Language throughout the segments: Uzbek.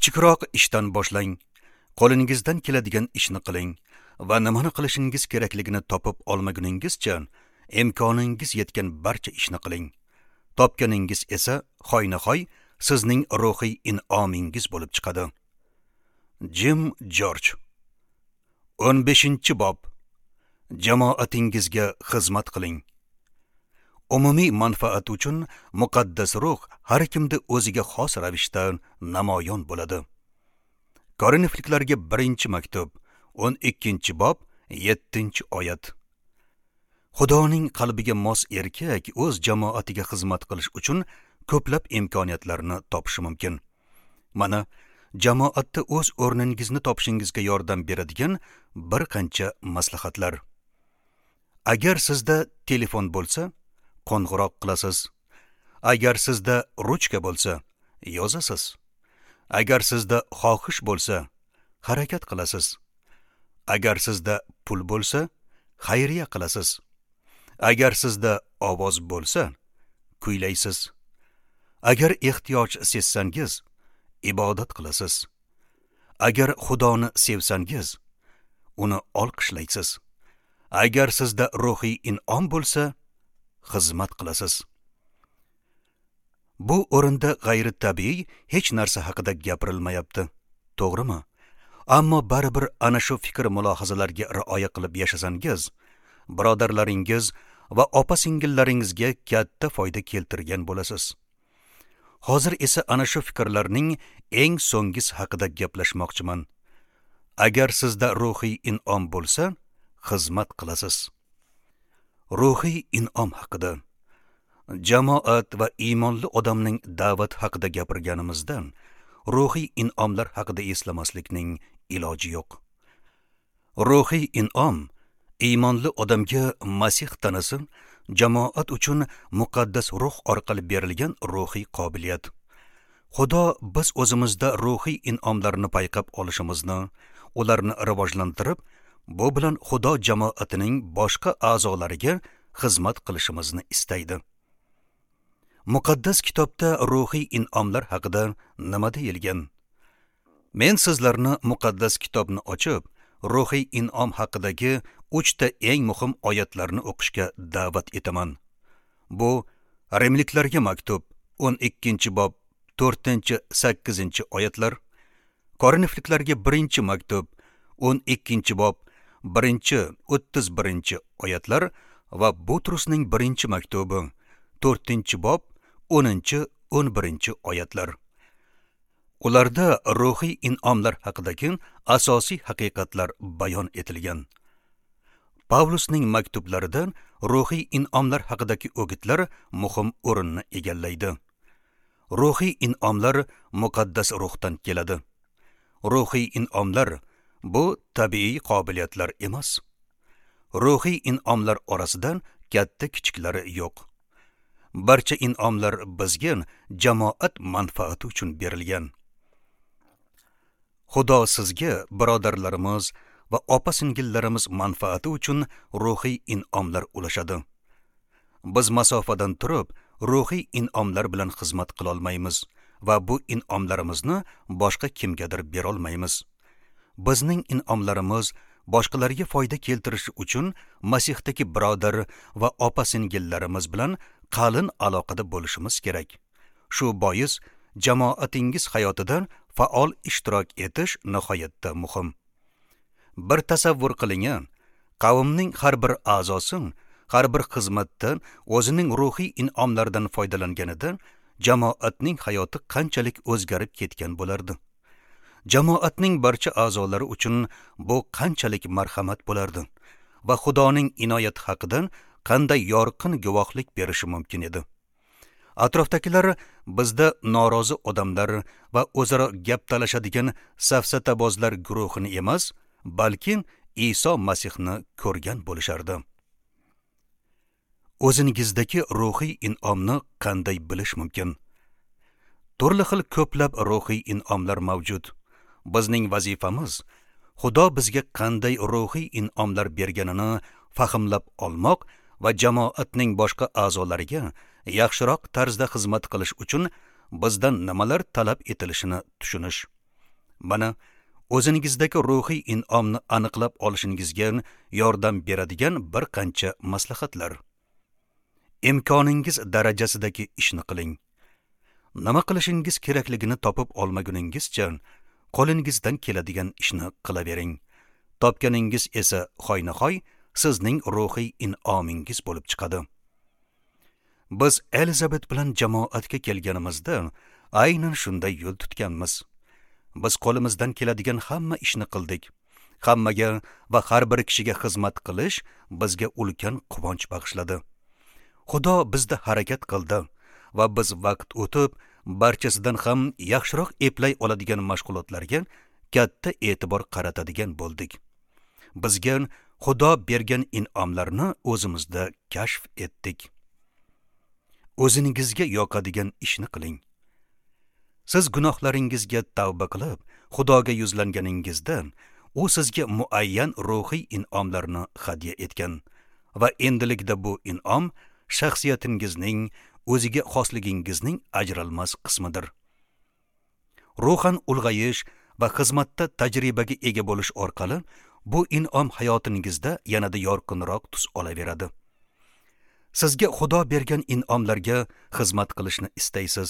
Kichikroq ishdan boshlang. Qo'lingizdan keladigan ishni qiling va nimani qilishingiz kerakligini topib olmaguningizcha imkoningiz yetgan barcha ishni qiling. Topganingiz esa hoynahoy sizning ruhiy in'omingiz bo'lib chiqadi. Jim Jorj. 15-bob. Jamoatingizga xizmat qiling. Umumiy manfaat uchun muqaddas ruh har kimda o'ziga xos ravishda namoyon bo'ladi. Korinfliklarga 1-maktub, 12-bob, 7-oyat. Xudoning qalbiga mos erkak o'z jamoatiga xizmat qilish uchun ko'plab imkoniyatlarni topishi mumkin. Mana jamoatda o'z o'rningizni topishingizga yordam beradigan bir qancha maslahatlar. Agar sizda telefon bo'lsa, qo'ng'iroq qilasiz. Agar sizda ruchka bo'lsa, yozasiz. Agar sizda xohish bo'lsa, harakat qilasiz. Agar sizda pul bo'lsa, xayriya qilasiz. Agar sizda ovoz bo'lsa, kuylaysiz. Agar ehtiyoj sezsangiz, ibodat qilasiz. Agar Xudoni sevsangiz, uni olqishlaysiz. Agar sizda ruhiy in'om bo'lsa, xizmat qilasiz. Bu o'rinda g'ayritabiiy hech narsa haqida gapirilmayapti, to'g'rimi? Ammo baribir ana shu fikr mulohazalarga rioya qilib yashasangiz, birodarlaringiz va opa-singillaringizga katta foyda keltirgan bo'lasiz. Hozir esa ana shu fikrlarning eng so'nggisi haqida gaplashmoqchiman. Agar sizda ruhiy in'om bo'lsa, xizmat qilasiz. Ruhiy in'om haqida, jamoat va iymonli odamning da'vat haqida gapirganimizda, ruhiy in'omlar haqida eslamaslikning iloji yo'q. Ruhiy in'om iymonli odamga Masih tanasi, jamoat uchun muqaddas ruh orqali berilgan ruhiy qobiliyat. Xudo biz o'zimizda ruhiy in'omlarni payqab olishimizni, ularni rivojlantirib, bu bilan Xudo jamoatining boshqa a'zolariga xizmat qilishimizni istaydi. Muqaddas kitobda ruhiy in'omlar haqida nima deyilgan? Men sizlarni muqaddas kitobni ochib, ruhiy in'om haqidagi 3 ta eng muhim oyatlarni o'qishga da'vat etaman. Bu Rimliklarga maktub 12-bob 4-8 oyatlar, Korinfliklarga 1-maktub 12-bob 1-31 oyatlar va Butrusning 1-maktubi 4-bob 10-11 oyatlar. Ularda ruhiy in'omlar haqidagi asosiy haqiqatlar bayon etilgan. Pavlusning maktublarida ruhiy in'omlar haqidagi o'gitlar muhim o'rinni egallaydi. Ruhiy in'omlar muqaddas ruhdan keladi. Ruhiy in'omlar bu tabiiy qobiliyatlar emas. Ruhiy in'omlar orasidan katta kichiklari yo'q. Barcha in'omlar bizga jamoat manfaati uchun berilgan. Xudo sizga birodarlarimiz va opa-singillarimiz manfaati uchun ruhiy in'omlar ulashadi. Biz masofadan turib ruhiy in'omlar bilan xizmat qila olmaymiz va bu in'omlarimizni boshqa kimgadir bera olmaymiz. Bizning in'omlarimiz boshqalarga foyda keltirishi uchun Masihdagi birodar va opa-singillarimiz bilan qalin aloqada bo'lishimiz kerak. Shu bois jamoatingiz hayotida faol ishtirok etish nihoyatda muhim. Bir tasavvur qiling, qavmning har bir a'zosi har bir xizmatda o'zining ruhiy in'omlaridan foydalanganida jamoatning hayoti qanchalik o'zgarib ketgan bo'lardi. Jamoatning barcha a'zolari uchun bu qanchalik marhamat bo'lardi va Xudoning inoyati haqida qanday yorqin guvohlik berishi mumkin edi. Atrofdagilar bizda norozi odamlar va o'zaro gap talashadigan safsatabozlar guruhini emas, balki Iso Masihni ko'rgan bo'lishardi. O'zingizdagi ruhiy in'omni qanday bilish mumkin? Turli xil ko'plab ruhiy in'omlar mavjud. Bizning vazifamiz Xudo bizga qanday ruhiy in'omlar berganini fahmlab olmoq va jamoatning boshqa a'zolariga yaxshiroq tarzda xizmat qilish uchun bizdan nimalar talab etilishini tushunish. Mana o'zingizdagi ruhiy in'omni aniqlab olishingizga yordam beradigan bir qancha maslahatlar. Imkoningiz darajasidagi ishni qiling. Nima qilishingiz kerakligini topib olmaguningizcha qo'lingizdan keladigan ishni qilavering. Topganingiz esa hoynahoy sizning ruhiy in'omingiz bo'lib chiqadi. Biz Elizabet bilan jamoatga kelganimizda aynan shunday yo'l tutganmiz. Biz qo'limizdan keladigan hamma ishni qildik. Hammaga va har bir kishiga xizmat qilish bizga ulkan quvonch bag'ishladi. Xudo bizda harakat qildi va biz vaqt o'tib barchasidan ham yaxshiroq eplay oladigan mashg'ulotlarga katta e'tibor qaratadigan bo'ldik. Bizga Xudo bergan in'omlarni o'zimizda kashf etdik. O'zingizga yoqadigan ishni qiling. Siz gunohlaringizga tavba qilib, Xudoga yuzlanganingizda, u sizga muayyan ruhiy in'omlarni hadya etgan va endilikda bu in'om shaxsiyatingizning, o'ziga xosligingizning ajralmas qismidir. Ruhan ulg'ayish va xizmatda tajribaga ega bo'lish orqali bu in'om hayotingizda yanada yorqinroq tus olaveradi. Sizga Xudo bergan in'omlarga xizmat qilishni istaysiz.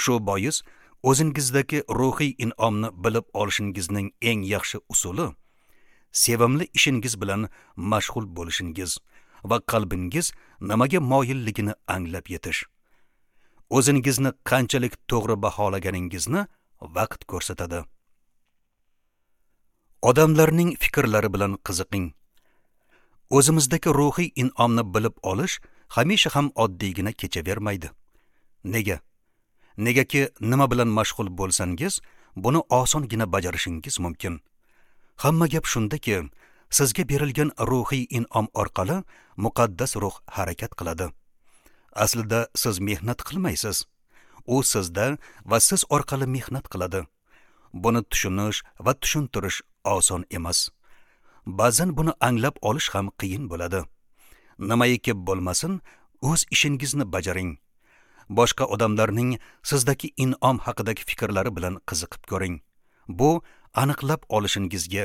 Shu bois o'zingizdagi ruhiy in'omni bilib olishingizning eng yaxshi usuli sevimli ishingiz bilan mashg'ul bo'lishingiz va qalbingiz nimaga moyilligini anglab yetish. O'zingizni qanchalik to'g'ri baholaganingizni vaqt ko'rsatadi. Odamlarning fikrlari bilan qiziqing. O'zimizdagi ruhiy in'omni bilib olish hamisha ham oddiygina kechavermaydi. Nega? Negaki nima bilan mashg'ul bo'lsangiz, buni osongina bajarishingiz mumkin. Hamma gap shundaki, sizga berilgan ruhiy in'om orqali muqaddas ruh harakat qiladi. Aslida siz mehnat qilmaysiz. U sizda va siz orqali mehnat qiladi. Buni tushunish va tushuntirish oson emas. Ba'zan buni anglab olish ham qiyin bo'ladi. Nimaiki bo'lmasin, o'z ishingizni bajaring. Boshqa odamlarning sizdagi in'om haqidagi fikrlari bilan qiziqib ko'ring. Bu aniqlab olishingizga,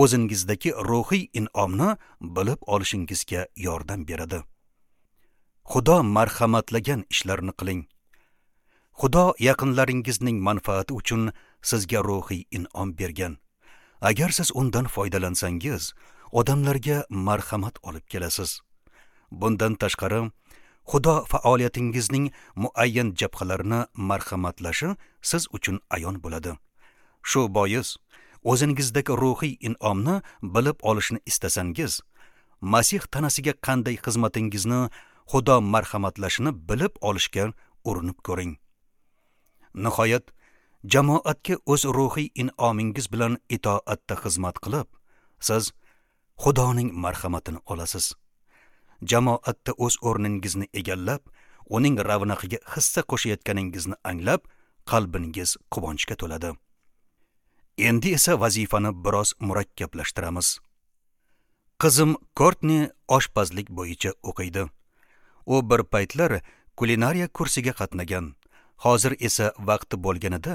o'zingizdagi ruhiy in'omni bilib olishingizga yordam beradi. Xudo marhamatlagan ishlarni qiling. Xudo yaqinlaringizning manfaati uchun sizga ruhiy in'om bergan. Agar siz undan foydalansangiz, odamlarga marhamat olib kelasiz. Bundan tashqari, Xudo faoliyatingizning muayyan jabhalarini marhamatlashi siz uchun ayon bo'ladi. Shu bois, o'zingizdagi ruhiy in'omni bilib olishni istasangiz, Masih tanasiga qanday xizmatingizni Xudo marhamatlashini bilib olishga urinib ko'ring. Nihoyat, jamoatga o'z ruhiy in'omingiz bilan itoatda xizmat qilib, siz Xudoning marhamatini olasiz. Jamoatda o'z o'rningizni egallab, uning ravnaqiga hissa qo'shayotganingizni anglab, qalbingiz quvonchga to'ladi. Endi esa vazifani biroz murakkablashtiramiz. Qizim Kortni oshpazlik bo'yicha o'qiydi. U bir paytlar kulinariya kursiga qatnagan. Hozir esa vaqti bo'lganida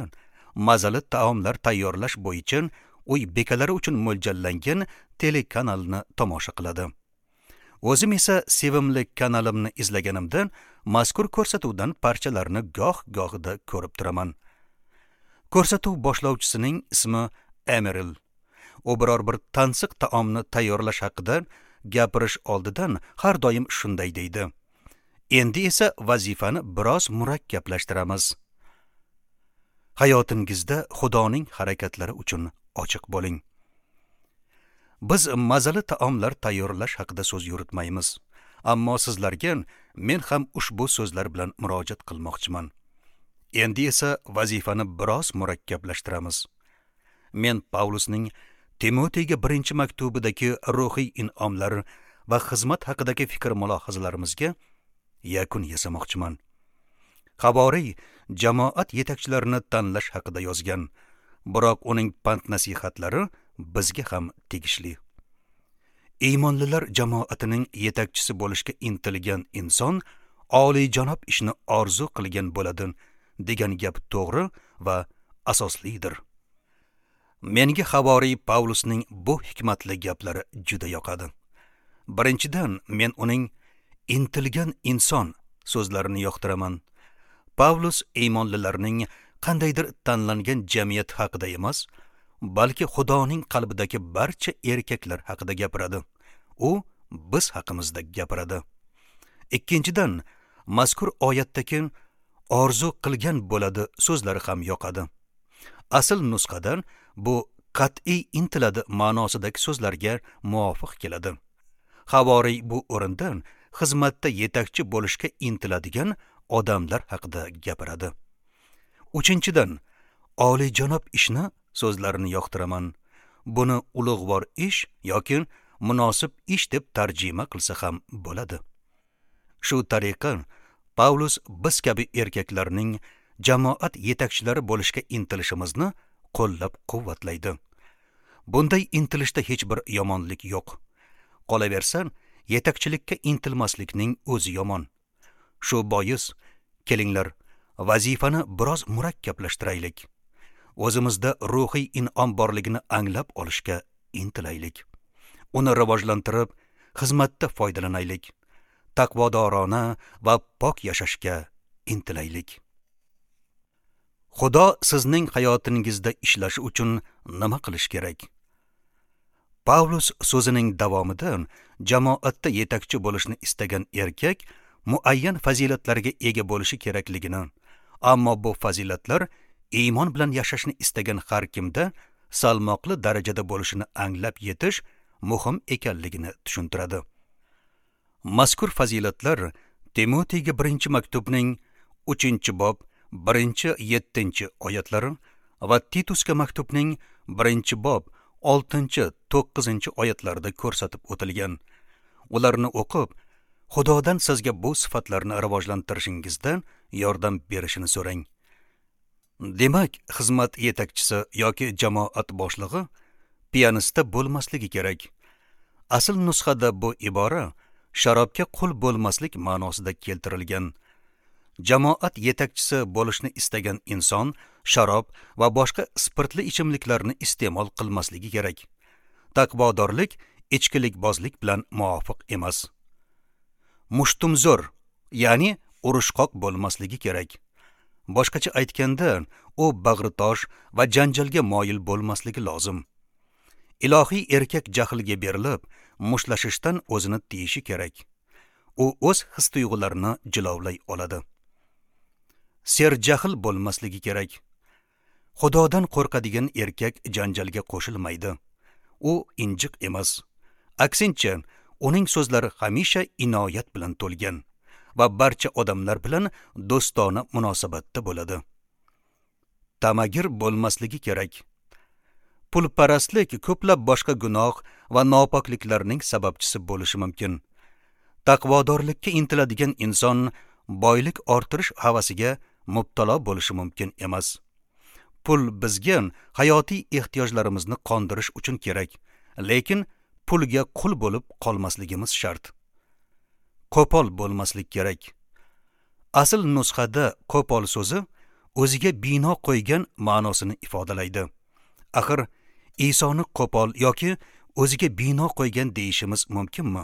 mazali taomlar tayyorlash bo'yicha uy bekalari uchun mo'ljallangan telekanalni tomosha qiladi. O'zim esa sevimli kanalimni izlaganimda mazkur ko'rsatuvdan parchalarni goh-gohida ko'rib turaman. Ko'rsatuv boshlovchisining ismi Emeril. U biror bir tansiq taomni tayyorlash haqida gapirish oldidan har doim shunday deydi. Endi esa vazifani biroz murakkablashtiramiz. Hayotingizda Xudoning harakatlari uchun ochiq bo'ling. Biz mazali taomlar tayyorlash haqida so'z yuritmaymiz. Ammo sizlarga men ham ushbu so'zlar bilan murojaat qilmoqchiman. Endi esa vazifani biroz murakkablashtiramiz. Men Pavlusning Timoteyga birinchi maktubidagi ruhiy in'omlar va xizmat haqidagi fikr mulohazalarimizga yakun yasamoqchiman. Havoriy jamoat yetakchilarini tanlash haqida yozgan, biroq uning pand nasihatlari bizga ham tegishli. Iymonlilar jamoatining yetakchisi bo'lishga intilgan inson oliyjanob ishni orzu qilgan bo'ladi degan gap to'g'ri va asoslidir. Menga havoriy Pavlusning bu hikmatli gaplari juda yoqadi. Birinchidan, men uning intilgan inson so'zlarini yoqtiraman. Pavlus iymonlilarning qandaydir tanlangan jamiyat haqida emas, balki Xudoning qalbidagi barcha erkaklar haqida gapiradi. U biz haqimizda gapiradi. Ikkinchidan, mazkur oyatdagi orzu qilgan bo'ladi so'zlari ham yoqadi. Asl nusxadan bu qat'iy intiladi ma'nosidagi so'zlarga muvofiq keladi. Havoriy bu o'rindan xizmatda yetakchi bo'lishga intiladigan odamlar haqida gapiradi. Uchinchidan, oliyjanob ishni so'zlarini yoqtiraman. Buni ulug'vor ish yoki munosib ish deb tarjima qilsa ham bo'ladi. Shu tariqa Pavlus biz kabi erkaklarning jamoat yetakchilari bo'lishga intilishimizni qo'llab-quvvatlaydi. Bunday intilishda hech bir yomonlik yo'q. Qolaversa, yetakchilikka intilmaslikning o'zi yomon. Shu bois, kelinglar, vazifani biroz murakkablashtiraylik. O'zimizda ruhiy in'om borligini anglab olishga intilaylik. Uni rivojlantirib, xizmatda foydalanaylik. Taqvodorona va pok yashashga intilaylik. Xudo sizning hayotingizda ishlashi uchun nima qilish kerak? Pavlus so'zining davomida jamoatda yetakchi bo'lishni istagan erkak muayyan fazilatlarga ega bo'lishi kerakligini, ammo bu fazilatlar iymon bilan yashashni istagan har kimda salmoqli darajada bo'lishini anglab yetish muhim ekanligini tushuntiradi. Mazkur fazilatlar Timotiyga 1-maktubning 3-bob 1-7 oyatlari va Titusga maktubning 1-bob 6-9 oyatlarida ko'rsatib o'tilgan. Ularni o'qib, Xudodan sizga bu sifatlarni rivojlantirishingizda yordam berishini so'rang. Demak, xizmat yetakchisi yoki jamoat boshlig'i piyanista bo'lmasligi kerak. Asl nusxada bu ibora sharobga qul bo'lmaslik ma'nosida keltirilgan. Jamoat yetakchisi bo'lishni istagan inson sharob va boshqa spirtli ichimliklarni iste'mol qilmasligi kerak. Taqvodorlik ichkilikbozlik bilan muvofiq emas. Mushtumzo'r, ya'ni urushqoq bo'lmasligi kerak. Boshqacha aytganda, u bag'ritosh va janjalga moyil bo'lmasligi lozim. Ilohiy erkak jahlga berilib, mushlashishdan o'zini tiyishi kerak. U o'z his-tuyg'ularini jilovlay oladi. Serjahl bo'lmasligi kerak. Xudodan qo'rqadigan erkak janjalga qo'shilmaydi. U injiq emas. Aksincha, uning so'zlari hamisha inoyat bilan to'lgan va barcha odamlar bilan do'stona munosabatda bo'ladi. Tamagir bo'lmasligi kerak. Pulparastlik ko'plab boshqa gunoh va nopokliklarning sababchisi bo'lishi mumkin. Taqvodorlikka intiladigan inson boylik orttirish havasiga mubtalo bo'lishi mumkin emas. Pul bizga hayotiy ehtiyojlarimizni qondirish uchun kerak, lekin pulga qul bo'lib qolmasligimiz shart. Qo'pol bo'lmaslik kerak. Asl nusxada qo'pol so'zi o'ziga bino qo'ygan ma'nosini ifodalaydi. Axir Isoni qo'pol yoki o'ziga bino qo'ygan deyishimiz mumkinmi?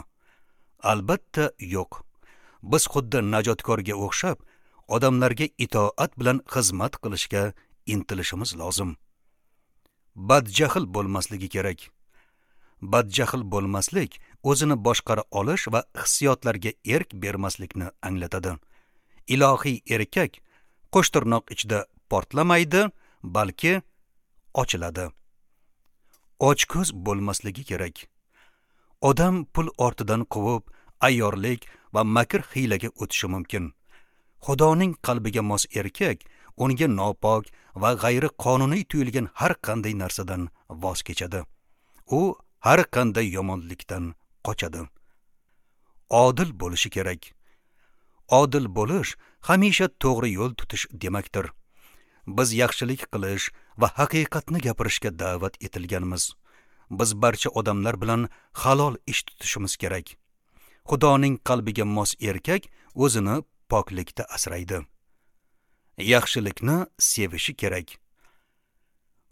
Albatta yo'q. Biz xuddi najotkorga o'xshab odamlarga itoat bilan xizmat qilishga intilishimiz lozim. Badjahl bo'lmasligi kerak. Badjahl bo'lmaslik o'zini boshqara olish va hissiyotlarga erk bermaslikni anglatadi. Ilohiy erkak qo'shtirnoq ichida portlamaydi, balki ochiladi. Ochko'z bo'lmasligi kerak. Odam pul ortidan quvib, ayyorlik va makr hiylaga o'tishi mumkin. Xudoning qalbiga mos erkak unga nopok va g'ayri qonuniy tuyulgan har qanday narsadan voz kechadi. U har qanday yomonlikdan qochadi. Odil bo'lishi kerak. Odil bo'lish hamisha to'g'ri yo'l tutish demakdir. Biz yaxshilik qilish va haqiqatni gapirishga da'vat etilganmiz. Biz barcha odamlar bilan halol ish tutishimiz kerak. Xudoning qalbiga mos erkak o'zini poklikda asraydi. Yaxshilikni sevishi kerak.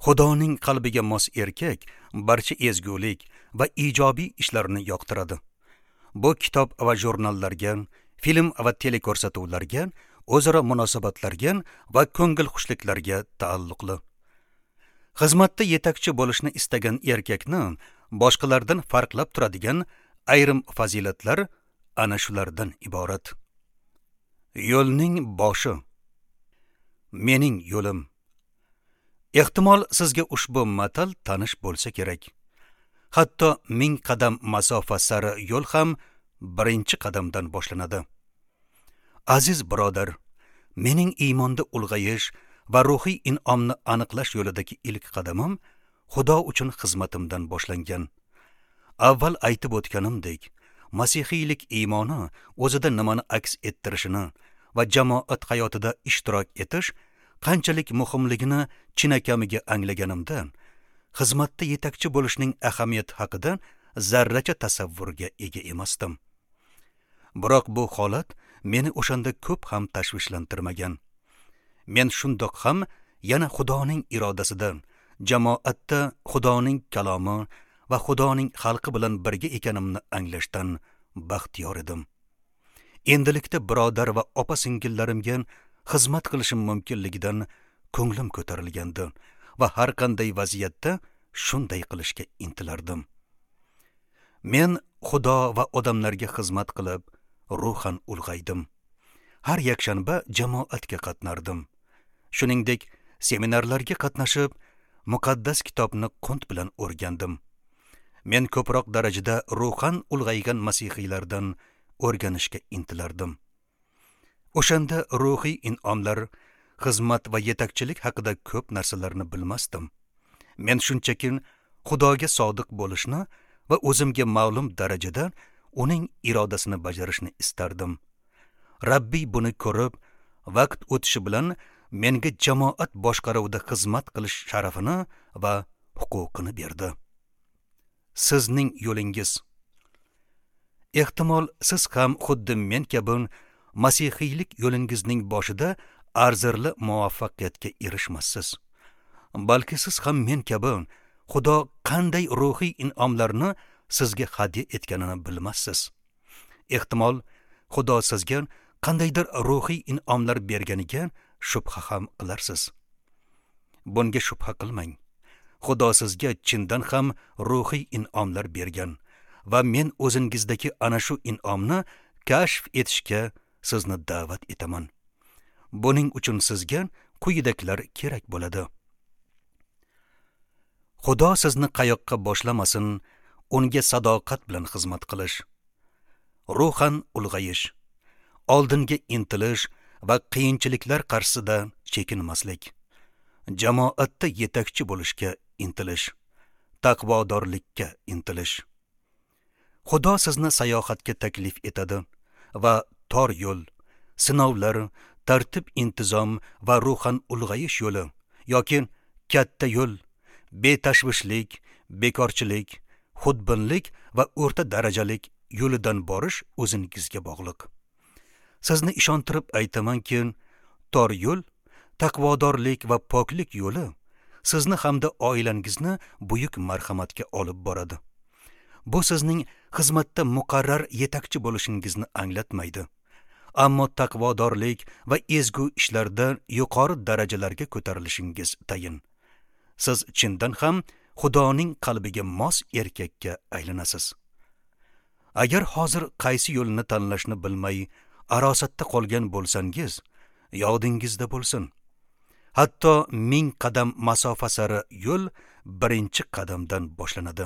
Xudoning qalbiga mos erkak barcha ezgulik va ijobiy ishlarni yoqtiradi. Bu kitob va jurnallarga, film va teleko'rsatuvlarga, o'zaro munosabatlarga va ko'ngil xushliklarga taalluqli. Xizmatda yetakchi bo'lishni istagan erkakni boshqalardan farqlab turadigan ayrim fazilatlar ana shulardan iborat. Yo'lning boshi. Mening yo'lim. Ehtimol sizga ushbu matal tanish bo'lsa kerak. Hatto 1000 qadam masofa sari yo'l ham birinchi qadamdan boshlanadi. Aziz birodar, mening iymonda ulg'ayish va ruhiy in'omni aniqlash yo'lidagi ilk qadamim Xudo uchun xizmatimdan boshlangan. Avval aytib o'tganimdek, masihiylik iymoni o'zida nimani aks ettirishini va jamoat hayotida ishtirok etish qanchalik muhimligini chinakamiga anglaganimda, xizmatda yetakchi bo'lishning ahamiyati haqida zarracha tasavvurga ega emasdim. Biroq bu holat meni o'shanda ko'p ham tashvishlantirmagan. Men shundoq ham yana Xudoning irodasida, jamoatda Xudoning kalomi va Xudoning xalqi bilan birga ekanimni anglashdan baxtiyor edim. Endilikda birodar va opa-singillarimga xizmat qilishim mumkinligidan ko'nglim ko'tarilgandi va har qanday vaziyatda shunday qilishga intilardim. Men Xudo va odamlarga xizmat qilib, ruhan ulg'aydim. Har yakshanba jamoatga qatnardim. Shuningdek, seminarlarga qatnashib, muqaddas kitobni qunt bilan o'rgandim. Men ko'proq darajada ruhan ulg'aygan masihiylardan o'rganishga intilardim. O'shanda ruhiy in'omlar, xizmat va yetakchilik haqida ko'p narsalarni bilmasdim. Men shunchaki Xudoga sodiq bo'lishni va o'zimga ma'lum darajada uning irodasini bajarishni istardim. Rabbiy buni ko'rib, vaqt o'tishi bilan menga jamoat boshqaruvida xizmat qilish sharafini va huquqini berdi. Sizning yo'lingiz. Ehtimol siz ham xuddi men kabi masihiylik yo'lingizning boshida arzirli muvaffaqiyatga erishmassiz. Balki siz ham men kabi Xudo qanday ruhiy in'omlarni sizga hadya etganini bilmassiz. Ehtimol Xudo sizga qandaydir ruhiy in'omlar berganiga shubha ham qilarsiz. Bunga shubha qilmang. Xudo sizga chindan ham ruhiy in'omlar bergan va men o'zingizdagi ana shu in'omni kashf etishga sizni da'vat etaman. Buning uchun sizga quyidagilar kerak bo'ladi. Xudo sizni qayoqqa boshlamasin, unga sadoqat bilan xizmat qilish, ruhan ulg'ayish, oldinga intilish va qiyinchiliklar qarshisida chekinmaslik, jamoatda yetakchi bo'lishga intilish, taqvodorlikka intilish. Xudo sizni sayohatga taklif etadi va tor yo'l, sinovlar, tartib intizom va ruhan ulg'ayish yo'li yoki katta yo'l, betashvishlik, bekorchilik, xudbinlik va o'rta darajalik yo'lidan borish o'zingizga bog'liq. Sizni ishontirib aytamanki, tor yo'l, taqvodorlik va poklik yo'li sizni hamda oilangizni buyuk marhamatga olib boradi. Bu sizning xizmatda muqarrar yetakchi bo'lishingizni anglatmaydi. Ammo taqvodorlik va ezgu ishlarda yuqori darajalarga ko'tarilishingiz tayin. Siz chindan ham Xudoning qalbiga mos erkakka aylanasiz. Agar hozir qaysi yo'lni tanlashni bilmay arosatda qolgan bo'lsangiz, yodingizda bo'lsin. Hatto 1000 qadam masofa sari yo'l birinchi qadamdan boshlanadi.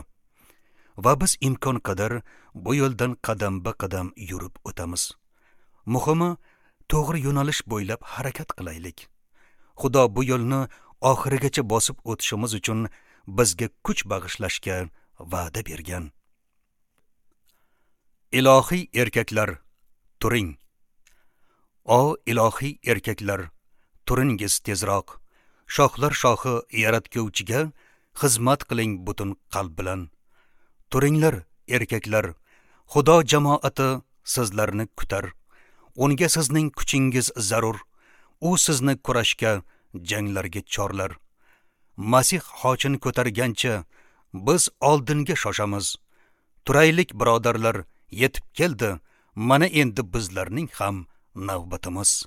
Va biz imkon qadar bu yo'ldan qadamba-qadam yurib o'tamiz. Muhimi, to'g'ri yo'nalish bo'ylab harakat qilaylik. Xudo bu yo'lni oxirigacha bosib o'tishimiz uchun bizga kuch bag'ishlashga va'da bergan. Ilohiy erkaklar, turing. O ilohiy erkaklar, turingiz tezroq. Shohlar shohi yaratguvchiga xizmat qiling butun qalb bilan. Turinglar erkaklar, Xudo jamoati sizlarni kutar. Unga sizning kuchingiz zarur. U sizni kurashga, janglarga chorlar. Masih xochini ko'targancha biz oldinga shoshamiz. Turaylik birodarlar, yetib keldi. Mana endi bizlarning ham navbatimiz.